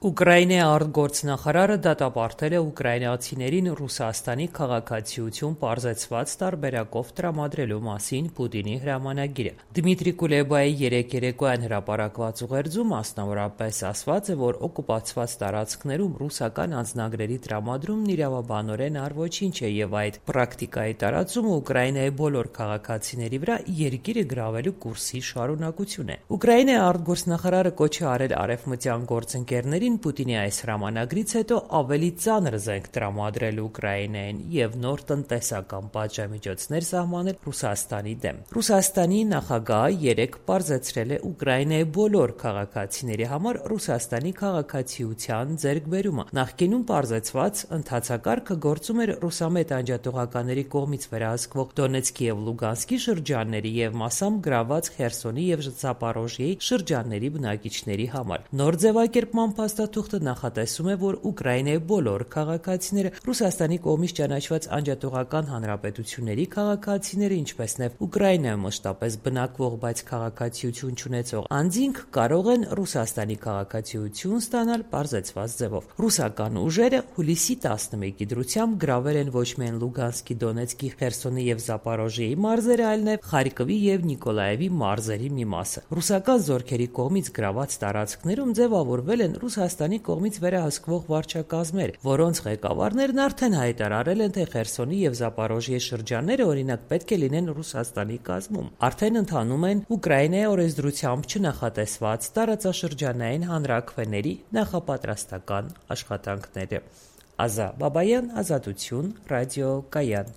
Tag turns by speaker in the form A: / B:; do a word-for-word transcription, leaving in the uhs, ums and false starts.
A: Ուկրաինայի արտգործնախարարը դատապարտել է ուկրաինացիներին Ռուսաստանի քաղաքացիություն պարզեցված տարբերակով տրամադրելու մասին Պուտինի հրամանագիրը։ Դմիտրի Կուլեբայի երեկ երեկոյան հրապարակված ուղերձում մասնավորապես ասված է, որ օկուպացված տարածքներում ռուսական անձնագրերի տրամադրումն իրավաբանորեն առոչինչ է եւ այդ պրակտիկայի տարածումը Ուկրաինայի բոլոր քաղաքացիների վրա երկիրը գրավելու կուրսի շարունակություն է։ Ուկրաինայի արտգործնախարարը կոչ է արել արևմտյան գործընկերներին Պուտինի այս հրամանագրից հետո ավելի ծանր զենք տրամադրել Ուկրաինային եւ նոր տնտեսական պատժամիջոցներ սահմանել Ռուսաստանի դեմ։ Ռուսաստանի նախագահը երեկ պարզեցրել է Ուկրաինայի բոլոր քաղաքացիների համար Ռուսաստանի քաղաքացիության ձեռքբերումը։ Նախկինում պարզեցված ընթացակարգը գործում էր ռուսամետ անջատողականների կողմից վերահսկվող Դոնեցկի եւ Լուգանսկի շրջանների եւ մասամբ գրաված Խերսոնի եւ Զապորոժիեի շրջանների բնակիչների համար։ Նոր ձևակերպման փաստաթուղթը նախատեսում է, որ Ուկրաինայի բոլոր քաղաքացիները, Ռուսաստանի կողմից ճանաչված անջատողական հանրապետությունների քաղաքացիները, ինչպես նաև Ուկրաինայում մշտապես բնակվող, բայց քաղաքացիություն չունեցող անձինք կարող են Ռուսաստանի քաղաքացիություն ստանալ պարզեցված ձևով։ Ռուսական ուժերը հուլիսի տասնմեկի դրությամբ գրավել են ոչ միայն Լուգանսկի, Դոնեցկի, Խերսոնի եւ Զապորոժիեի մարզերը, այլ նաև Խարկովի եւ Նիկոլաևի մարզերի մի մասը։ Ռուսական զորքերի կողմից գրաված տարածքներում ձևավորվել են Ռուսաստանի կողմից վերահսկվող վարչակազմեր, որոնց ղեկավարներն արդեն հայտարարել են, թե Խերսոնի եւ Զապորոժիեի շրջանները օրինակ պետք է լինեն Ռուսաստանի կազմում։ Արդեն ընթանում են Ուկրաինայի օրենսդրությամբ չնախատեսված տարածաշրջանային հանրաքվեների նախապատրաստական աշխատանքները։ Ազա Բաբայան, Ազատություն, Ռադիո Կայան։